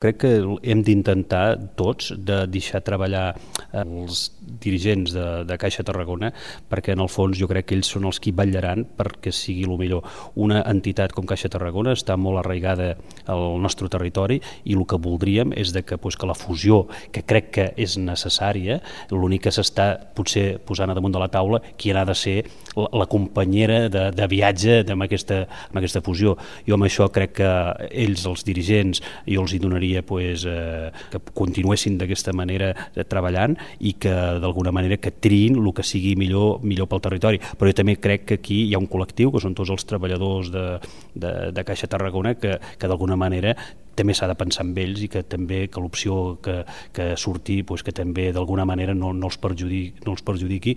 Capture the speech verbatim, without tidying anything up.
Crec que hem d'intentar tots de deixar treballar els dirigents de, de Caixa Tarragona, perquè en el fons jo crec que ells són els qui vetllaran perquè sigui el millor. Una entitat com Caixa Tarragona està molt arraigada al nostre territori i el que voldríem és de que, pues, que la fusió, que crec que és necessària, l'únic que s'està potser posant a damunt de la taula qui ha de ser la, la companyera de, de viatge amb aquesta, amb aquesta fusió. Jo amb això crec que ells, els dirigents, jo els hi donaria pues, eh, que continuessin d'aquesta manera eh, treballant i que d'alguna manera que triïn el que sigui millor, millor pel territori. Però jo també crec que aquí hi ha un col·lectiu, que són tots els treballadors de, de, de Caixa Tarragona, que, que d'alguna manera també s'ha de pensar en ells i que també que l'opció que, que surti pues, que també d'alguna manera no, no, els perjudiqui, no els perjudiqui.